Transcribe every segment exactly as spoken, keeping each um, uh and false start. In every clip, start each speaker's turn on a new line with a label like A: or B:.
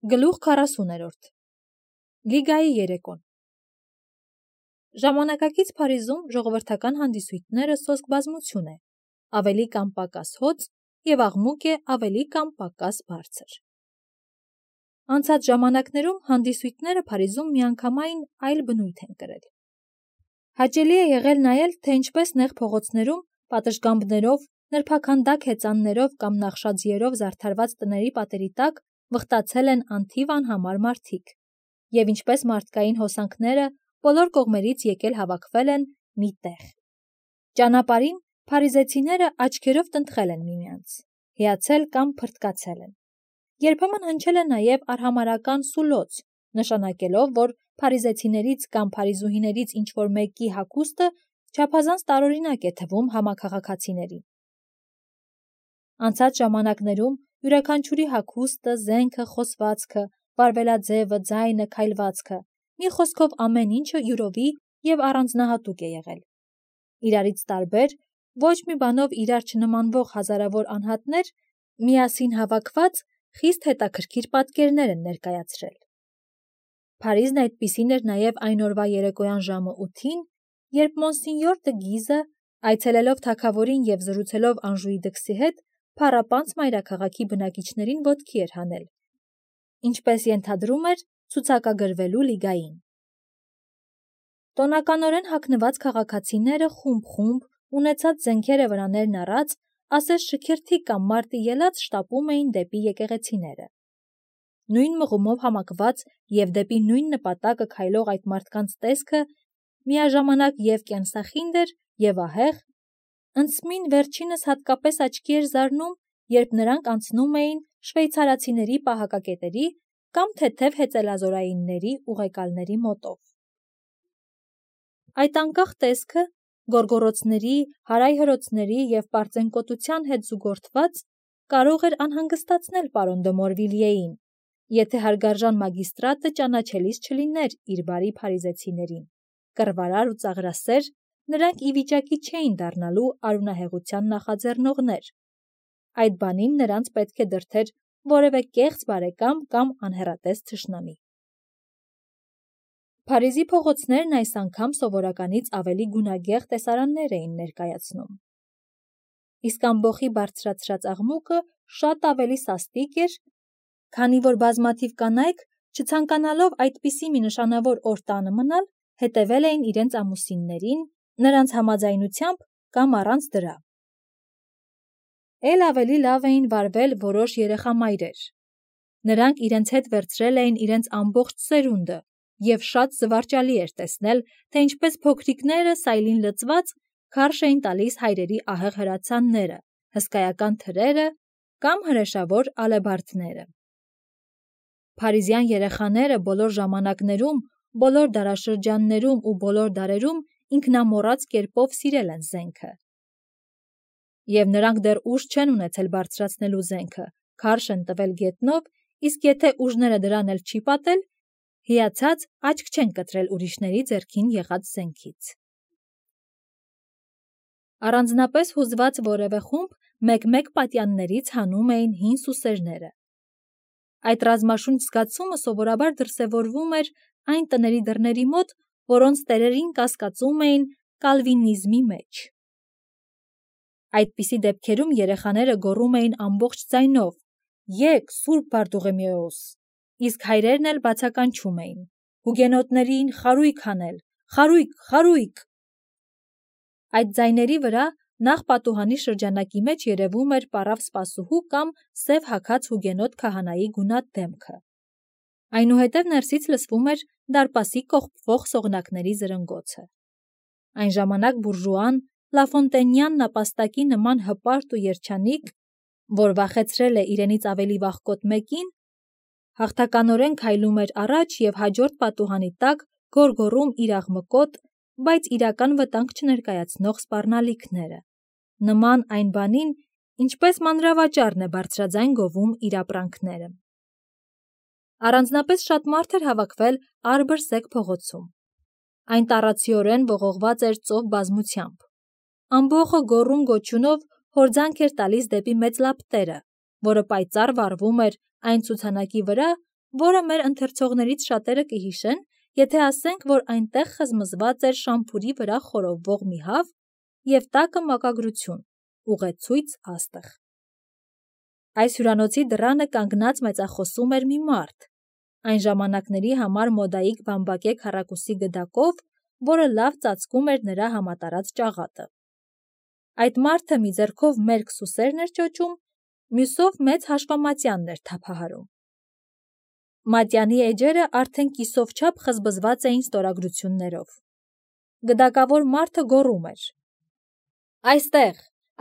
A: Գլուխ քառասուներորդ Լիգայի երեկոն Ժամանակակից Փարիզում ժողովրդական հանդիսույթները սոսկ բազմություն է, ավելի կամ պակաս հոծ և աղմուկ է ավելի կամ պակաս բարձր։ Անցած ժամանակներում հանդիսույթները Փարիզում միանգամայն այլ բնույթ են կրել։ Հաճելի է եղել նայել, թե ինչպես նեղ փողոցներում պատշգամբներով, նրբաքանդակ հեծաններով կամ նախշաձիերով զարդարված տների պատերի տակ վխտացել են անթիվ անհամար մարդիկ, և ինչպես մարդկային հոսանքները բոլոր կողմերից եկել հավաքվել են մի տեղ։ Ճանապարհին փարիզեցիները աչքերով տնտղել են միմյանց, հիացել կամ փռթկացել են։ Երբեմն հնչել է նաև արհամարհական սուլոց, նշանակելով, որ փարիզեցիներից կամ փարիզուհիներից ինչ-որ մեկի հագուստը չափազանց տարօրինակ է թվում համաքաղաքացիներին։ Անցած ժամանակներում յուրաքանչյուրի հագուստը, զենքը, խոսվածքը, վարվելաձևը, ձայնը, քայլվածքը, մի խոսքով ամեն ինչը յուրովի և առանձնահատուկ է եղել։ Իրարից տարբեր, ոչ մի բանով իրար չնմանվող հազարավոր անհատներ միասին հավաքված խիստ հետաքրքիր պատկերներ են ներկայացրել։ Փարիզն այդպիսին էր նաև այն օրվա երեկոյան ժամը ութին, երբ մոնսենյոր դը Գիզը, այցելելով թագավորին և զրուցելով Անժուի դքսի հետ, փառապանծ մայրաքաղաքի բնակիչներին ոտքի էր հանել, ինչպես ենթադրում էր, ցուցակագրվելու լիգային։ Տոնականորեն հագնված քաղաքացիները խումբ-խումբ, ունեցած զենքերը վրաներն առած, ասես շքերթի կամ մարտի ելած շտապում էին դեպի եկեղեցիները։ Նույն մղումով համակված և դեպի նույն նպատակը քայլող այդ մարդկանց տեսքը միաժամանակ և կենսախինդ էր, և ահեղ, ընդսմին վերջինս հատկապես աչքի էր զարնում, երբ նրանք անցնում էին շվեյցարացիների պահակակետերի կամ թեթև հեծելազորայինների ուղեկալների մոտով։ Այդ անկախ տեսքը, գոռգոռոցների, հարայհրոցների և պարծենկոտության հետ զուգորդված, կարող էր անհանգստացնել պարոն դը Մորվիլիեին, եթե հարգարժան մագիստրատը ճանաչելիս չլիներ իր բարի փարիզեցիներին, կռվարար ու ծաղրասեր, նրանք ի վիճակի չէին դառնալու արյունահեղության նախաձեռնողներ, այդ բանին նրանց պետք է դրդեր որևէ կեղծ բարեկամ կամ անհեռատես թշնամի։ Փարիզի փողոցներն այս անգամ սովորականից ավելի գունագեղ տեսարաններ էին ներկայացնում։ Իսկ ամբոխի բարձրացրած աղմուկը շատ ավելի սաստիկ էր, քանի որ բազմաթիվ կանայք, չցանկանալով այդպիսի մի նշանավոր օր տանը մնալ, հետևել էին իրենց ամուսիններին, նրանց համաձայնությամբ կամ առանց դրա։ Էլ ավելի լավ էին վարվել որոշ երեխամայրեր։ Նրանք իրենց հետ վերցրել էին իրենց ամբողջ սերունդը, և շատ զվարճալի էր տեսնել, թե ինչպես փոքրիկները, սայլին լցված, քարշ էին տալիս հայրերի ահեղ հրացանները, հսկայական թրերը կամ հրեշավոր ալեբարդները։ Փարիզյան երեխաները բոլոր ժամանակներում, բոլոր դարաշրջաններում ու բոլոր դարերում ինքնամոռաց կերպով սիրել են զենքը։ Եվ նրանք դեռ ուժ չեն ունեցել բարձրացնելու զենքը, քարշ են տվել գետնով, իսկ եթե ուժները դրան էլ չի պատել, հիացած աչք չեն կտրել ուրիշների ձեռքին եղած զենքից։ Առանձնապես հուզված որևէ խումբ մեկ-մեկ պատյաններից հանում էին հին սուսերները։ Այդ ռազմաշունչ զգացումը սովորաբար դրսևորվում էր այն տների դռների մոտ, որոնց տերերին կասկածում էին կալվինիզմի մեջ։ Այդպիսի դեպքերում երեխաները գոռում էին ամբողջ ձայնով. «Եկ, Սուրբ Բարտուղեմեոս», իսկ հայրերն էլ բացականչում էին. «Հուգենոտներին խարույկ հանել, խարույկ, խարույկ»։ Այդ ձայների վրա նախ պատուհանի շրջանակի մեջ երևում էր պառավ սպասուհու կամ սև հագած հուգենոտ քահանայի գունատ դեմքը։ Այնուհետև ներսից լսվում էր դարպասի կողպվող սողնակների զրնգոցը։ Այն ժամանակ բուրժուան, լաֆոնտենյան նապաստակի նման հպարտ ու երջանիկ, որ վախեցրել է իրենից ավելի վախկոտ մեկին, հաղթականորեն քայլում էր առաջ և հաջորդ պատուհանի տակ գոռգոռում իր աղմկոտ, բայց իրական վտանգ չներկայացնող սպառնալիքները, նման այն բանին, ինչպես մանրավաճառն է բարձրաձայն գովում իր ապրանքները։ Առանձնապես շատ մարդ էր հավաքվել Արբր-Սեք փողոցում։ Այն տառացիորեն ողողված էր ծով բազմությամբ։ Ամբոխը գոռում-գոչյունով հորձանք էր տալիս դեպի մեծ լապտերը, որը պայծառ վառվում էր այն ցուցանակի վրա, որը մեր ընթերցողներից շատերը կհիշեն, եթե ասենք, որ այնտեղ խզմզված էր շամփուրի վրա խորովվող մի հավ և տակը մակագրություն, ուղեցույց աստղ։ Այս հյուրանոցի դռանը կանգնած մեծախոսում էր մի մարդ, այն ժամանակների համար մոդայիկ բամբակե քառակուսի գդակով, որը լավ ծածկում էր նրա համատարած ճաղատը։ Այդ մարդը մի ձեռքով մերկ սուսերն էր ճոճում, մյուսով մեծ հաշվամատյանն էր թափահարում։ Մատյանի էջերը արդեն կիսով չափ խզբզված էին ստորագրություններով։ Գդակավոր մարդը գոռում էր. «Այստեղ,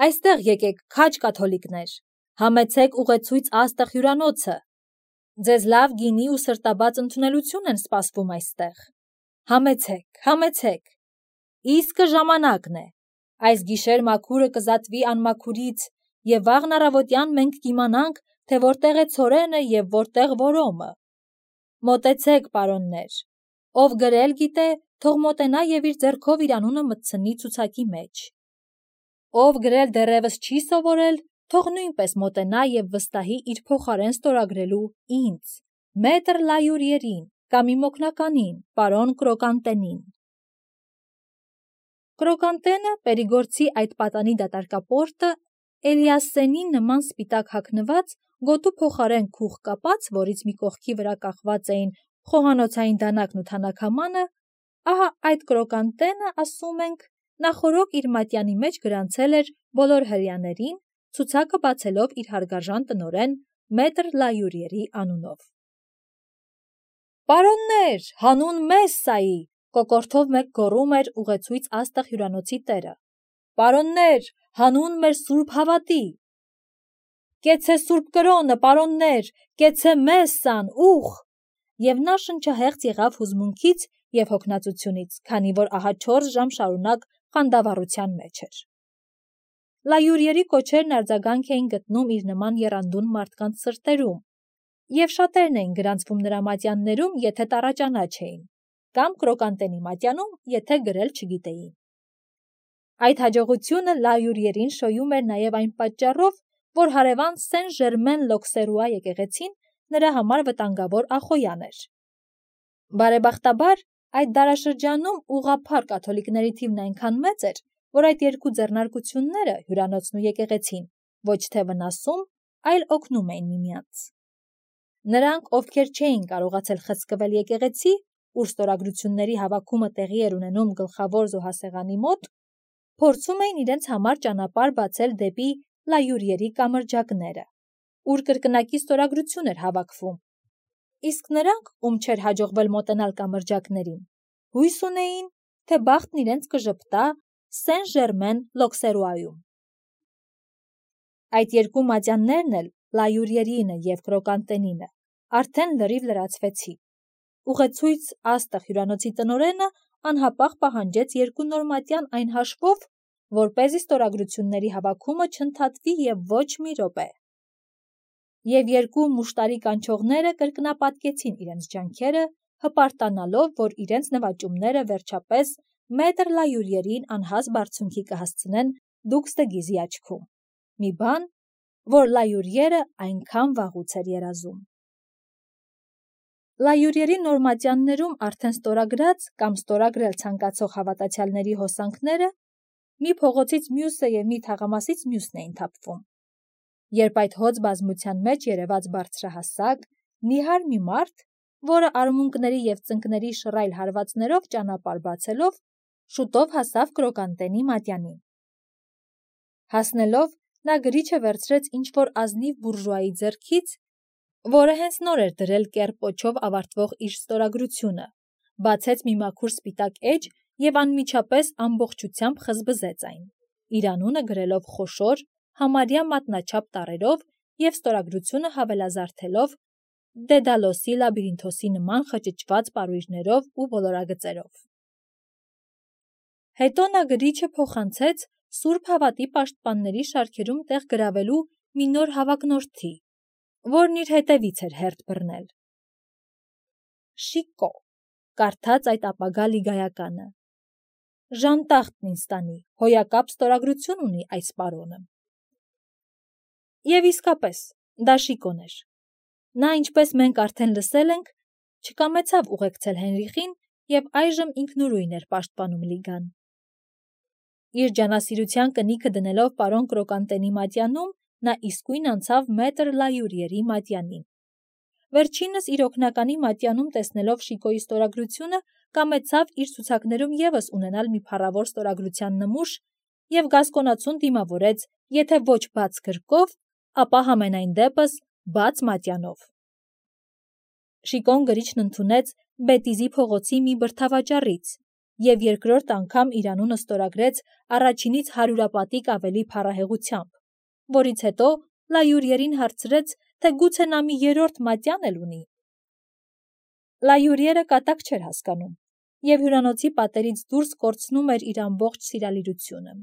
A: այստեղ եկեք, քաջ կաթոլիկներ, համեցեք ուղեցույց աստղ հյուրանոցը։ Ձեզ լավ գինի ու սրտաբաց ընդունելություն են սպասվում այստեղ։ Համեցեք, համեցեք։ Իսկը ժամանակն է։ Այս գիշեր մաքուրը կզատվի անմաքուրից, և վաղն առավոտյան մենք կիմանանք, թե որտեղ է ցորենը և որտեղ որոմը։ Մոտեցեք, պարոններ, ով գրել գիտե, թող մոտենա և իր ձեռքով իր անունը մտցնի ցուցակի մեջ։ Ով գրել դեռևս չի սովորել, թող նույնպես մոտենա և վստահի իր փոխարեն ստորագրելու ինձ, մետր Լայուրիերին կամ իմ օգնականին, պարոն Կրոկանտենին»։ Կրոկանտենը, Պերիգորցի այդ պատանի դատարկապորտը, Էլիասենի նման սպիտակ հագնված, գոտու փոխարեն քուղ կապած, որից մի կողքի վրա կախված էին խոհանոցային դանակն ու թանաքամանը, ահա այդ Կրոկանտենը, ասում ենք, նախօրոք իր մատյանի մեջ գրանցել էր բոլոր հրեաներին, ցուցակը բացելով իր հարգարժան տնօրեն մետր Լայուրիերի անունով։ «Պարոննե՛ր, հանուն Մեսսայի», կոկորդով մեկ գոռում էր ուղեցույց աստղ հյուրանոցի տերը։ «Պարոննե՛ր, հանուն մեր սուրբ հավատի։ Կեցցե սուրբ կրոնը, պարոննե՛ր, կեցցե Մեսսան, ուխ»։ Եվ նա շնչահեղձ եղավ հուզմունքից և հոգնածությունից, քանի որ ահա չորս ժամ շարունակ խանդավառության մեջ էր։ Լայուրիերի կոչերն արձագանք էին գտնում իր նման եռանդուն մարդկանց սրտերում, և շատերն էին գրանցվում նրա մատյաններում, եթե տառաճանաչ էին, կամ Կրոկանտենի մատյանում, եթե գրել չգիտեին։ Այդ հաջողությունը Լայուրիերին շոյում էր նաև այն պատճառով, որ հարևան Սեն Ժերմեն Լոքսերուա եկեղեցին նրա համար վտանգավոր ախոյան էր։ Բարեբախտաբար, այդ դարաշրջանում ուղղափառ կաթոլիկների թիվն այնքան մեծ էր, որ այդ երկու ձեռնարկությունները, հյուրանոցն ու եկեղեցին, ոչ թե վնասում, այլ օգնում էին միմյանց։ Նրանք, ովքեր չէին կարողացել խցկվել եկեղեցի, ուր ստորագրությունների հավաքումը տեղի էր ունենում գլխավոր զոհասեղանի մոտ, փորձում էին իրենց համար ճանապարհ բացել դեպի Լայուրիերի կամրջակները, ուր կրկնակի ստորագրություն էր հավաքվում, իսկ նրանք, ում չէր հաջողվել մոտենալ կամրջակներին, հույս ունեին, թե բախտն իրենց կժպտա Սեն Ժերմեն Լոքսերուայում։ Այդ երկու մատյաններն էլ, Լայուրիերինը և Կրոկանտենինը, արդեն լրիվ լրացվեցին։ Ուղեցույց աստղ հյուրանոցի տնօրենը անհապաղ պահանջեց երկու նոր մատյան այն հաշվով, որպեսզի ստորագրությունների հավաքումը չընդհատվի և ոչ մի րոպե։ Եվ երկու մուշտարի կանչողները կրկնապատկեցին իրենց ջանքերը, հպարտանալով, որ իրենց նվաճումները վերջապես մետր Լայուրիերին անհաս բարձունքի կհասցնեն Դուքստեգիզի աչքում, մի բան, որ Լայուրիերը այնքան վաղուց էր երազում։ Լայուրիերի նոր մատյաններում արդեն ստորագրած կամ ստորագրել ցանկացող հավատացյալների հոսանքները մի փողոցից մյուսը և մի թաղամասից մյուսն էին թափվում, երբ այդ հոծ բազմության մեջ երևաց բարձրահասակ, նիհար մի մարդ, որը արմունկների և ծնկների շռայլ հարվածներով ճանապարհ բացելով, շուտով հասավ Կրոկանտենի մատյանին։ Հասնելով, նա գրիչը վերցրեց ինչ-որ ազնիվ բուրժուայի ձեռքից, որը հենց նոր էր դրել կեռ-պոչով ավարտվող իր ստորագրությունը, բացեց մի մաքուր սպիտակ էջ և անմիջապես ամբողջությամբ խզբզեց այն, իր անունը գրելով խոշոր, համարյա մատնաչափ տառերով և ստորագրությունը հավելազարդելով Դեդալոսի լաբիրինթոսի նման խճճված պարույրներով ու ոլորագծերով։ Հետո նա գրիչը փոխանցեց Սուրբ Հավատի պաշտպանների շարքերում տեղ գրավելու մի նոր հավակնորդի, որն իր հետևից էր հերթ բռնել։ Շիկո, կարդաց այդ ապագա լիգայականը։ Ժանտախտն ինձ տանի, հոյակապ ստորագրություն ունի այս պարոնը։ Եվ իսկապես, դա Շիկոն էր։ Նա, ինչպես մենք արդեն լսել ենք, չկամեցավ ուղեկցել Հենրիխին և այժմ ինքնուրույն էր պաշտպանում Լիգան։ Իր ջանասիրության կնիքը դնելով պարոն Կրոկանտենի մատյանում, նա իսկույն անցավ մետր Լայուրիերի մատյանին։ Վերջինս իր օգնականի մատյանում տեսնելով Շիկոյի ստորագրությունը, կամեցավ իր ցուցակներում ևս ունենալ մի փառավոր ստորագրության նմուշ և գասկոնացուն դիմավորեց, եթե ոչ բաց գրկով, ապա համենայն դեպս բաց մատյանով։ Շիկոն գրիչն ընդունեց Բետիզի փողոցի մի բրդավաճառից և երկրորդ անգամ իր անունը ստորագրեց առաջինից հարյուրապատիկ ավելի փառահեղությամբ, որից հետո Լայուրիերին հարցրեց, թե գուցե նա մի երրորդ մատյան էլ ունի։ Լայուրիերը կատակ չէր հասկանում և հյուրանոցի պատերից դուրս կորցնում էր իր ամբողջ սիրալիրությունը։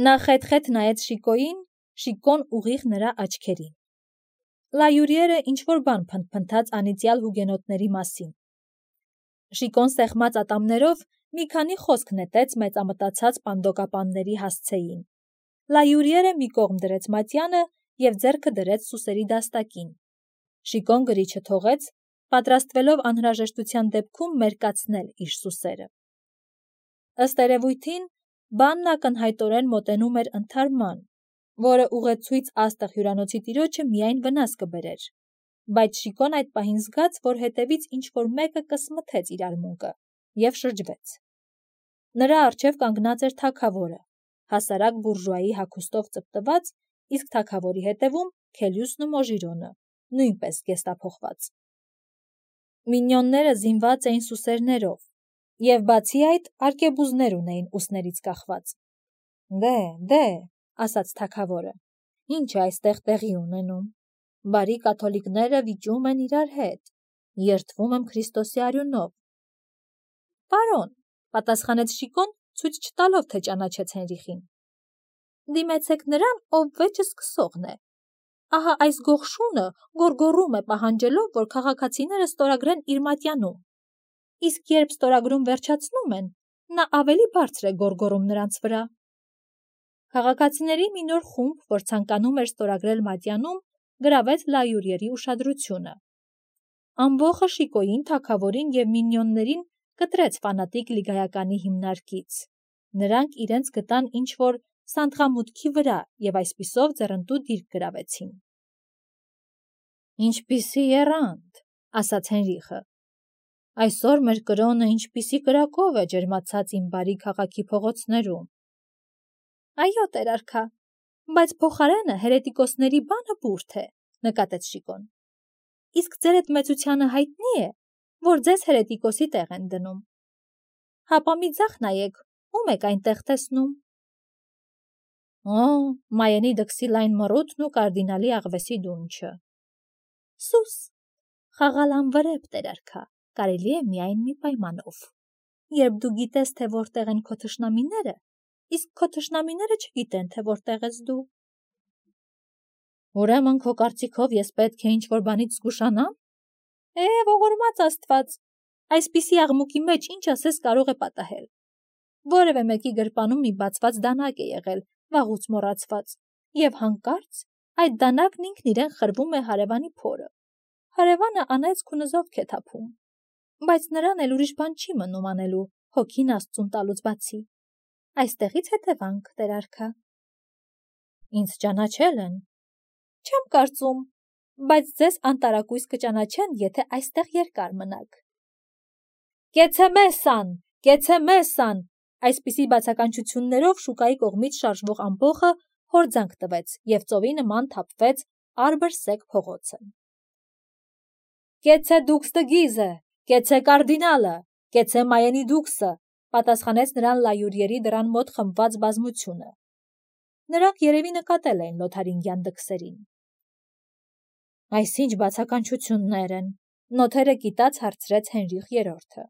A: Նա խեթ-խեթ նայեց Շիկոյին, Շիկոն ուղիղ նրա աչքերին։ Լայուրիերը ինչ-որ բան փնթփնթաց անիծյալ հուգենոտների մասին։ Շիկոն սեղմած ատամներով մի քանի խոսք նետեց մեծամտածած պանդոկապանների հասցեին։ Լայուրիերը մի կողմ դրեց մատյանը և ձեռքը դրեց սուսերի դաստակին։ Շիկոն գրիչը թողեց, պատրաստվելով անհրաժեշտության դեպքում մերկացնել իր սուսերը։ Ըստ երևույթին, բանն ակնհայտորեն մոտենում էր ընդհարման, որը ուղեցույց աստղ հյուրանոցի տիրոջը միայն վնաս կբերեր, բայց Շիկոն այդ պահին զգաց, որ հետևից ինչ-որ մեկը կսմթեց իր արմունկը և շրջվեց։ Նրա առջև կանգնած էր թագավորը, հասարակ բուրժուայի հագուստով ծպտված, իսկ թագավորի հետևում Քելյուսն ու Մոժիրոնը, նույնպես գեստափոխված։ Մինյոնները զինված էին սուսերներով և բացի այդ արկեբուզներ ունեին ուսներից կախված։ «Դե, դե», ասաց թագավորը, «ինչ է այստեղ տեղի ունենում։ Բարի կաթոլիկները վիճում են իրար հետ, երդվում եմ Քրիստոսի արյունով»։ «Պարոն», պատասխանեց Շիկոն, ցույց չտալով, թե ճանաչեց Հենրիխին, «դիմեցեք նրան, ով վեճը սկսողն է։ Ահա այս գողշունը գոռգոռում է, պահանջելով, որ քաղաքացիները ստորագրեն իր մատյանում, իսկ երբ ստորագրում վերջացնում են, նա ավելի բարձր է գոռգոռում նրանց վրա»։ Քաղաքացիների մի նոր խումբ, որ ցանկանում էր ստորագրել մատյանում, գրավեց Լայուրիերի ուշադրությունը։ Ամբոխը Շիկոյին, թագավորին և մինյոններին կտրեց ֆանատիկ լիգայականի հիմնարկից։ Նրանք իրենց գտան ինչ-որ սանդղամուտքի վրա և այսպիսով ձեռնտու դիրք գրավեցին։ «Ինչպիսի եռանդ», ասաց Հենրիխը։ «Այսօր մեր կրոնը ինչպիսի կրակով է ջերմացած իմ բարի քաղաքի փողոցներում»։ «Այո, տեր-արքա, բայց փոխարենը հերետիկոսների բանը բուրդ է», նկատեց Շիկոն։ «Իսկ ձեր էդ մեծությանը հայտնի է, որ ձեզ հերետիկոսի տեղ են դնում։ Հապա մի ձախ նայեք, ում եք այնտեղ տեսնում»։ «Օ, Մայենի դքսի լայն մռութն ու կարդինալի աղվեսի դունչը»։ «Սուս, խաղալ անվրեպ, տեր-արքա, կարելի է միայն մի պայմանով. երբ դու գիտես, թե որտեղ են քո թշնամիները, իսկ քո թշնամիները չգիտեն, թե որտեղ ես դու»։ «Ուրեմն քո կարծիքով ես պետք է ինչ-որ բանից զգուշանա՞մ»։ «Է, ողորմած Աստված, այսպիսի աղմուկի մեջ ինչ ասես կարող է պատահել։ Որևէ մեկի գրպանում մի բացված դանակ է եղել, վաղուց մոռացված, և հանկարծ այդ դանակն ինքն իրեն խրվում է հարևանի փորը։ Հարևանը անեծք ու նզովք է թափում, բայց նրան էլ ուրիշ բան չի մնում անելու հոգին Աստծուն տալուց բացի։ Այստեղից հետևանք, տեր-արքա»։ «Ինձ ճանաչել են»։ «Չեմ կարծում, բայց ձեզ անտարակույս կճանաչեն, եթե այստեղ երկար մնաք»։ «Կեցե մեսսան, կեցե մեսսան», այսպիսի բացականչություններով շուկայի կողմից շարժվող ամբոխը հորձանք տվեց և ծովի նման թափվեց առբր-սեկ փողոցը։ «Կեցե դուքս դը Գիզը, կեցե կարդինալը, կեցե Մայենի դուքսը», պատասխանեց նրան Լայուրիերի դռան մոտ խմբված բազմությունը։ Նրանք երևի նկատել էին լոթարինգյան դքսերին։ «Այս ինչ բացականչություններ են», նոթերը կիտած հարցրեց Հենրիխ երրորդը։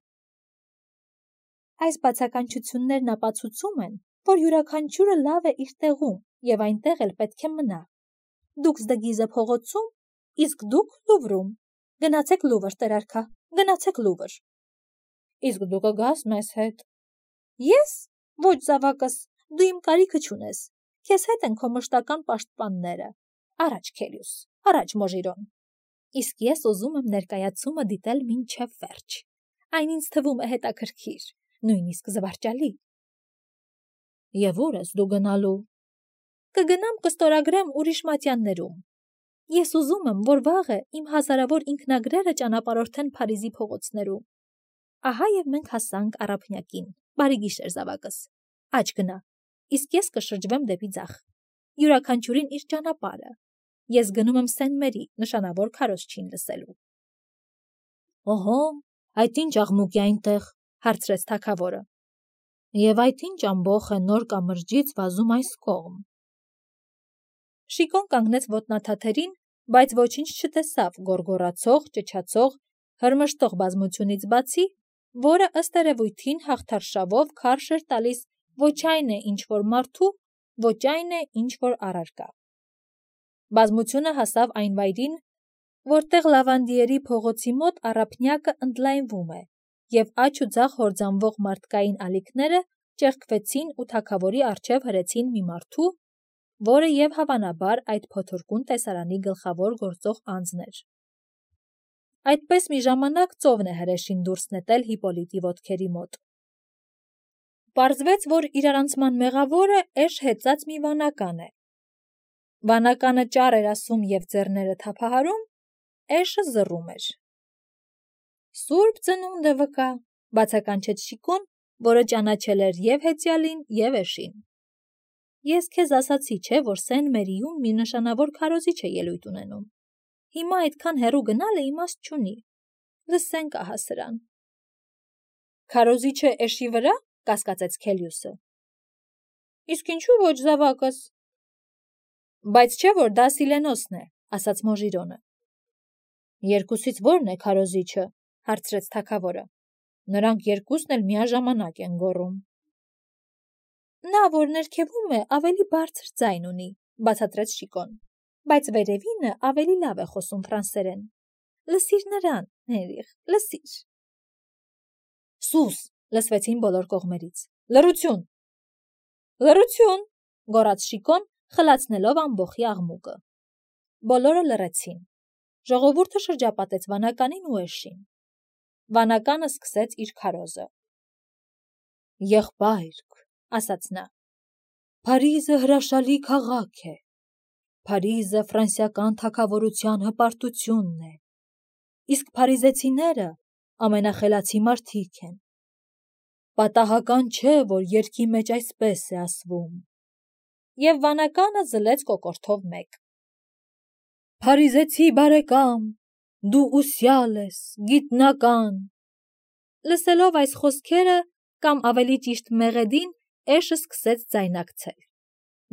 A: «Այս բացականչություններն ապացուցում են, որ յուրաքանչյուրը լավ է իր տեղում և այնտեղ էլ պետք է մնա։ Դուքս դը Գիզը փողոցում, իսկ դուք Լուվրում։ Գնացեք Լուվր, տեր-արքա, գնացեք Լուվր»։ «Իսկ դու կգաս մեզ հետ»։ «Ես։ Ոչ զավակս, դու իմ կարիքը չունես, քեզ հետ են քո մշտական պաշտպանները։ Առաջ, Քելյուս, առաջ Մոժիրոն։ Իսկ ես ուզում եմ ներկայացումը դիտել մինչև վերջ։ Այն ինձ թվում է հետաքրքիր, նույնիսկ զվարճալի։ Եվ ուր ես դու գնալու։ Կգնամ կստորագրեմ ուրիշ մատյաններում։ Ես ուզում եմ, որ վաղը իմ հազարավոր ինքնագրերը ճանապարհորդեն Փարիզի փողոցներում։ Ահա եւ մենք հասանք առափնյակին։ Բարի գիշեր, զավակս։ Աջ գնա։ Իսկ ես կշրջվեմ դեպի ձախ։ Յուրաքանչյուրին իր ճանապարհը։ Ես գնում եմ Սեն-Մերի, նշանավոր քարոզչին լսելու։ Օհո, այդ ինչ աղմուկ է այնտեղ, հարցրեց թագավորը։ Եվ այդ ինչ ամբոխ է նոր կամրջից վազում այս կողմ։ Շիկոն կանգնեց ոտնաթաթերին, բայց ոչինչ չտեսավ գոռգոռացող, ճչացող, հրմշտող բազմությունից բացի, որը ըստ երևույթին հաղթարշավով քարշ էր տալիս ոչ այն է ինչ որ մարդու, ոչ այն է ինչ որ առարկա։ Բազմությունը հասավ այն վայրին, որտեղ Լավանդիերի փողոցի մոտ առափնյակը ընդլայնվում է, եւ աջ ու ձախ հորձանվող մարդկային ալիքները ճեղքվեցին ու թագավորի առջև հրեցին մի մարդու, որը եւ հավանաբար այդ փոթորկուն տեսարանի գլխավոր գործող անձն էր։ Այդպես մի ժամանակ ծովն է հրեշին դուրս նետել Հիպոլիտի ոտքերի մոտ։ Պարզվեց, որ իրարանցման մեղավորը էշ հեծած մի վանական է։ Վանականը ճառ էր ասում եւ ձեռները թափահարում, էշը զռում էր։ Սուրբ ծնունդը վկա, բացականչեց Շիկոն, որը ճանաչել էր եւ հեծյալին, եւ էշին։ Ես քեզ ասացի, չէ, որ Սեն-Մերիում մի նշանավոր քարոզիչ է ելույթ ունենում։ Հիմա այդքան հեռու գնալը իմաստ չունի։ Լսենք ահա սրան։ Քարոզիչը էշի վրա, կասկածեց Քելիուսը։ Իսկ ինչու ոչ զավակս։ Բայց չէ, որ դա Սիլենոսն է, ասաց Մոժիրոնը։ Երկուսից ո՞րն է քարոզիչը, հարցրեց թագավորը։ Նրանք երկուսն էլ միաժամանակ են գոռում։ Նա, որ ներքևում է, ավելի բարձր ձայն ունի, բացատրեց Շիկոն, բայց վերևինը ավելի լավ է խոսում ֆրանսերեն։ Լսիր նրան, Հենրիխ, լսիր։ Սուս, լսվեցին բոլոր կողմերից։ Լռություն։ Լռություն, գոռաց Շիկոն, խլացնելով ամբոխի աղմուկը։ Բոլորը լռեցին։ Ժողովուրդը շրջապատեց վանականին ու էշին։ Վանականը սկսեց իր քարոզը։ Եղբայրք, ասաց նա, Փարիզը հրաշալի քաղաք է։ Փարիզը ֆրանսիական թագավորության հպարտությունն է։ Իսկ փարիզեցիները ամենախելացի մարդիկ են։ Պատահական չէ, որ երգի մեջ այսպես է ասվում։ Եվ վանականը զլեց կոկորդով մեկ։ Փարիզեցի բարեկամ, դու ուսյալ ես, գիտնական։ Լսելով այս խոսքերը, կամ ավելի ճիշտ մեղեդին, էշը սկսեց ձայնակցել։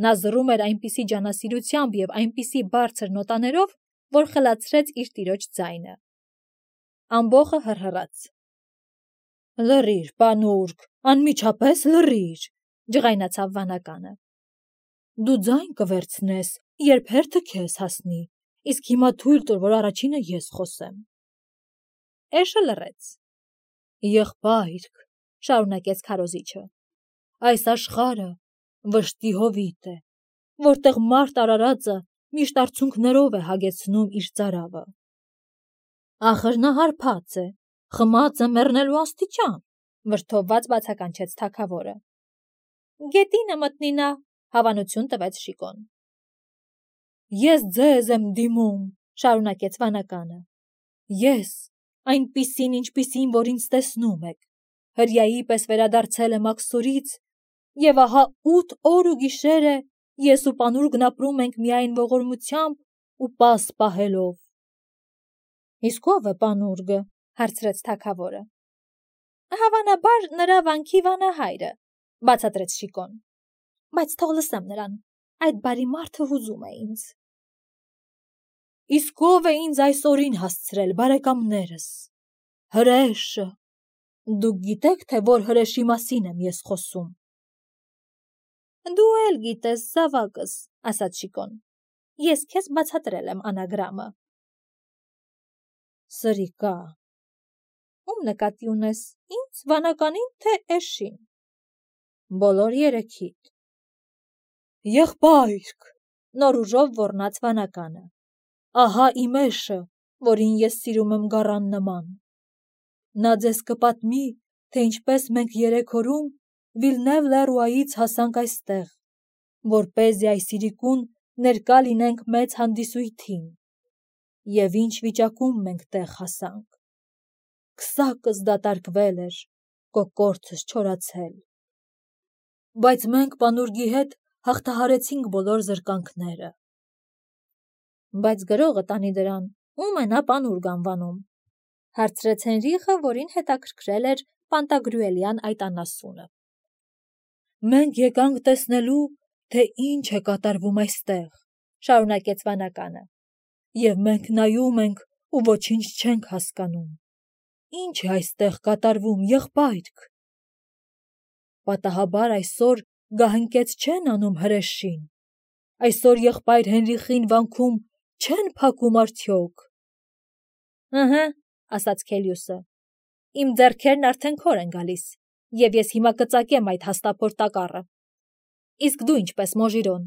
A: Նա զռում էր այնպիսի ջանասիրությամբ եւ այնպիսի բարձր նոտաներով, որ խլացրեց իր տիրոջ ձայնը։ Ամբոխը հռհռաց։ Լռիր, պանուրք, անմիջապես լռիր, ջղայնացավ վանականը։ Դու ձայն կվերցնես, երբ հերթը քեզ հասնի, իսկ հիմա թույլ տուր, որ առաջինը ես խոսեմ։ Էշը լռեց։ Եղբայրք, շարունակեց քարոզիչը, այս աշխարհը վշտի հովիտ է, որտեղ մարդ արարածը միշտ արցունքներով է հագեցնում իր ծարավը։ Ախր նա հարբած է, խմած է մեռնելու աստիճան, վրդովված բացականչեց թագավորը։ Գետինը մտնի նա, հավանություն տվեց Շիկոն։ Ես ձեզ եմ դիմում, շարունակեց վանականը։ Ես, այնպիսին, ինչպիսին, որ ինձ տեսնում եք, հրյայի պես վերադարձել եմ Աքսորից, եւ ահա ութ օր ու գիշեր է ես ու պանուրկն ապրում ենք միայն ողորմությամբ ու պաս պահելով։ Իսկ ով է պանուրգը, հարցրեց թագավորը։ Հավանաբար նրա վանքի վանահայրը, բացատրեց Շիկոն։ Բայց թող լսեմ նրան, այդ բարի մարդը հուզում է ինձ։ Իսկ ով է ինձ այս օրին հասցրել, բարեկամներս։ Հրեշը։ Դուք գիտեք, թե որ հրեշի մասին եմ ես խոսում։ Դու էլ գիտես, զավակս, ասաց Շիկոն։ Ես քեզ բացատրել եմ անագրամը։ Սրիկա։ Ում նկատի ունես, ինձ, վանականին, թե էշին։ Բոլոր երեքիդ։ Եղբայրք, նոր ուժով ոռնաց վանականը։ ահա իմ էշը, որին ես սիրում եմ գառան նման։ Նա ձեզ կպատմի, թե ինչպես մենք երեք օրում Վիլնև Լեռուայից հասանք այստեղ, որպեսզի այս իրիկուն ներկա լինենք մեծ հանդիսույթին, և ինչ վիճակում մենք տեղ հասանք։ Քսակս դատարկվել էր, կոկորդս չորացել։ Բայց մենք պանուրգի հետ հաղթահարեցինք բոլոր զրկանքները։ Բայց գրողը տանի դրան, ում է նա պանուրգ անվանում, հարցրեց Հենրիխը, որին հետաքրքրել էր Պանտագրուելյան այդ անասունը։ Մենք եկանք տեսնելու, թե ինչ է կատարվում այստեղ, շարունակեց վանականը, և մենք նայում ենք ու ոչինչ չենք հասկանում։ Ինչ է այստեղ կատարվում, եղբայրք։ Պատահաբար այսօր գահընկեց չեն անում հրեշին, այսօր եղբայր Հենրիխին վանքում չեն փակում արդյոք։ Ըհը, ասաց Քելիուսը, իմ ձեռքերն արդեն քոր են գալիս, և ես հիմա կծակեմ այդ հաստափոր տակառը։ Իսկ դու ինչպես, Մոժիրոն։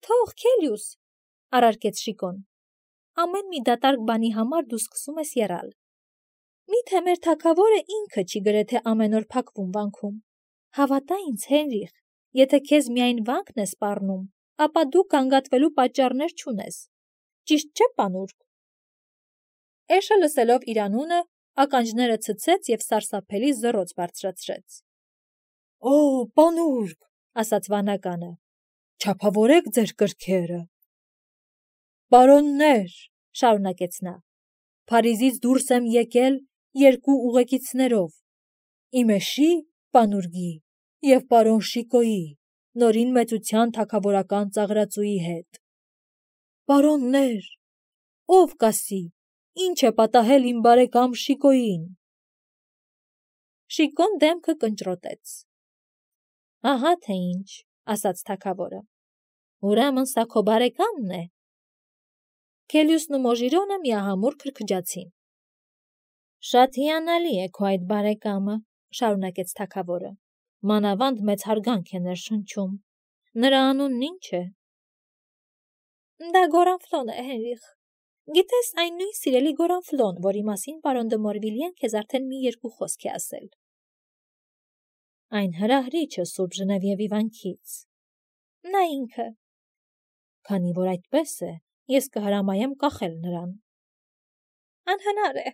A: Թող, Քելիուս, առարկեց Շիկոն, ամեն մի դատարկ բանի համար դու սկսում ես եռալ։ Միթե մեր թագավորը ինքը չի գրեթե ամեն օր փակվում վանքում։ Հավատա ինձ, Հենրիխ, եթե քեզ միայն վանքն է սպառնում, ապա դու գանգատվելու պատճառներ չունես։ Ճիշտ չէ, պանուրգ։ Էշը լսելով իր անունը, ականջները ցցեց և սարսափելի զռոց բարձրացրեց։ Օ, պանուրգ, ասաց վանականը, չափավորեք ձեր կրքերը։ Պարոններ, շարունակեց նա, Փարիզից դուրս եմ եկել երկու ուղեկիցներով, իմ էշի, պանուրգի և պարոն Շիկոյի, նորին մեծության թագավորական ծաղրածուի հետ։ Պարոններ, ով կասի, ինչ է պատահել իմ բարեկամ Շիկոյին։ Շիկոն դեմքը կնճռոտեց։ Ահա թե ինչ, ասաց թագավորը, ուրեմն սա քո բարեկամն է։ Քելիուսն ու Մոժիրոնը միահամուռ քրքջացին։ Շատ հիանալի է քո այդ բարեկամը, շարունակեց թագավորը, մանավանդ մեծ հարգանք է ներշնչում։ Նրա անունն ինչ է։ Դա Գորանֆլոն է, Հենրիխ։ Գիտես, այն նույն սիրելի Գորանֆլոն, որի մասին պարոն դը Մորվիլիեն քեզ արդեն մի երկու խոսք է ասել։ Այն հրահրիչը Սուրբ Ժնևիևի վանքից։ Նա ինքը։ Քանի որ այդպես է, ես կհրամայեմ կախել նրան։ Անհնար է։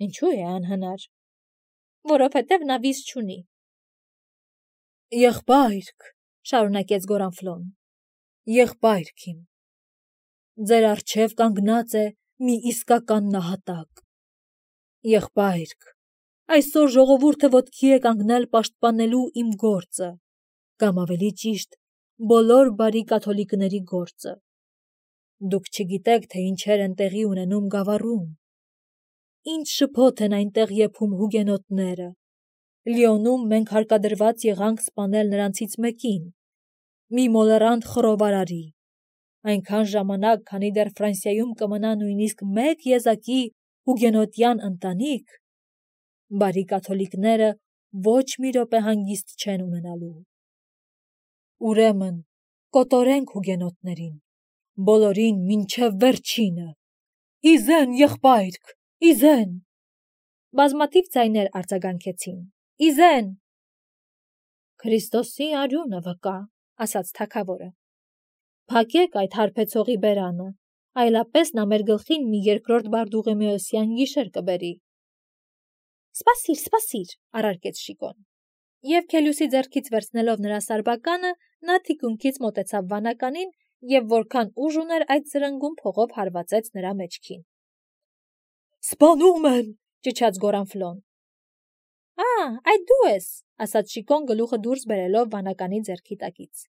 A: Ինչու է անհնար։ Որովհետև նա վիզ չունի։ Եղբայրք, շարունակեց Գորանֆլոն, եղբայրք իմ, ձեր առջև կանգնած է մի իսկական նահատակ։ Եղբայրք, այսօր ժողովուրդը ոտքի է կանգնել պաշտպանելու իմ գործը, կամ ավելի ճիշտ, բոլոր բարի կաթոլիկների գործը։ Դուք չգիտեք, թե ինչեր են տեղի ունենում Գավառում։ Ինչ շփոթ են այնտեղ եփում հուգենոտները։ Լիոնում մենք հարկադրված եղանք սպանել նրանցից մեկին, մի մոլեռանդ խռովարարի, այնքան ժամանակ, քանի դեռ Ֆրանսիայում կմնա նույնիսկ մեկ եզակի հուգենոտյան ընտանիք, բարի կաթոլիկները ոչ մի րոպե հանգիստ չեն ունենալու։ Ուրեմն, կոտորենք հուգենոտներին, բոլորին մինչև վերջինը։ Իզեն, եղբայրք, իզեն։ Բազմաթիվ ձայներ արձագանքեցին։ Իզեն։ Քրիստոսի արյունը վկա, ասաց թագավորը։ Փակեք այդ հարբեցողի բերանը, այլապես նա մեր գլխին մի երկրորդ Բարդուղիմեոսյան գիշեր կբերի։ Սպասիր, սպասիր, առարկեց Շիկոն։ Եվ Քելիուսի ձեռքից վերցնելով նրա սարբականը, նա թիկունքից մոտեցավ վանականին և որքան ուժ ուներ այդ զրնգում փողով հարվածեց նրա մեջքին։ Սպանում են, ճչաց Գորանֆլոն։ Ա, այդ դու ես, ասաց Շիկոն գլուխը դուրս բերելով վանականի ձեռքի տակից։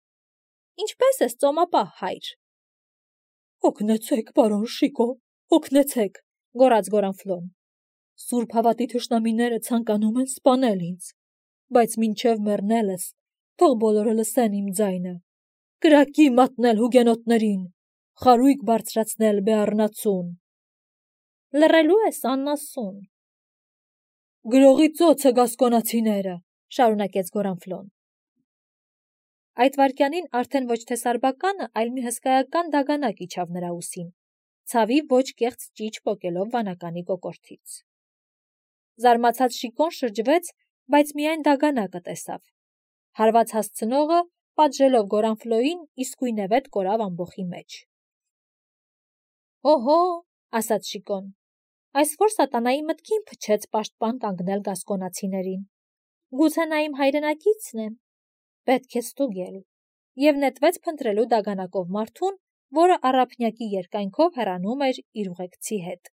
A: Ինչպես ես, ծոմապահ հայր։ Օգնեցեք, պարոն Շիկո, օգնեցեք, գոռաց Գորանֆլոն։ Սուրբ հավատի թշնամիները ցանկանում են սպանել ինձ, բայց մինչև մեռնելս թող բոլորը լսեն իմ ձայնը, կրակի մատնել հուգենոտներին, խարույկ բարձրացնել Բեառնացուն։ Լռելու ես անասուն։ Գրողի ծոցը գասկոնացիները, շարունակեց Գորանֆլոն։ Այդ վայրկյանին արդեն ոչ թե սարբականը, այլ մի հսկայական դագանակ իջավ նրա ուսին, ցավի ոչ կեղծ ճիչ պոկելով վանականի կոկորդից։ Զարմացած Շիկոն շրջվեց, բայց միայն դագանակը տեսավ։ Հարված հասցնողը, պատժելով Գորանֆլոյին, իսկույնևեթ կորավ ամբոխի մեջ։ «Օհո», ասաց Շիկոն, «այս որ սատանայի մտքին փչեց պաշտպան կանգնել գասկոնացիներին։ Գուցե նա իմ հայրենակիցն է, պետք է ստուգել», և նետվեց փնտրելու դագանակով մարդուն, որը առափնյակի երկայնքով հեռանում էր իր ուղեկցի հետ։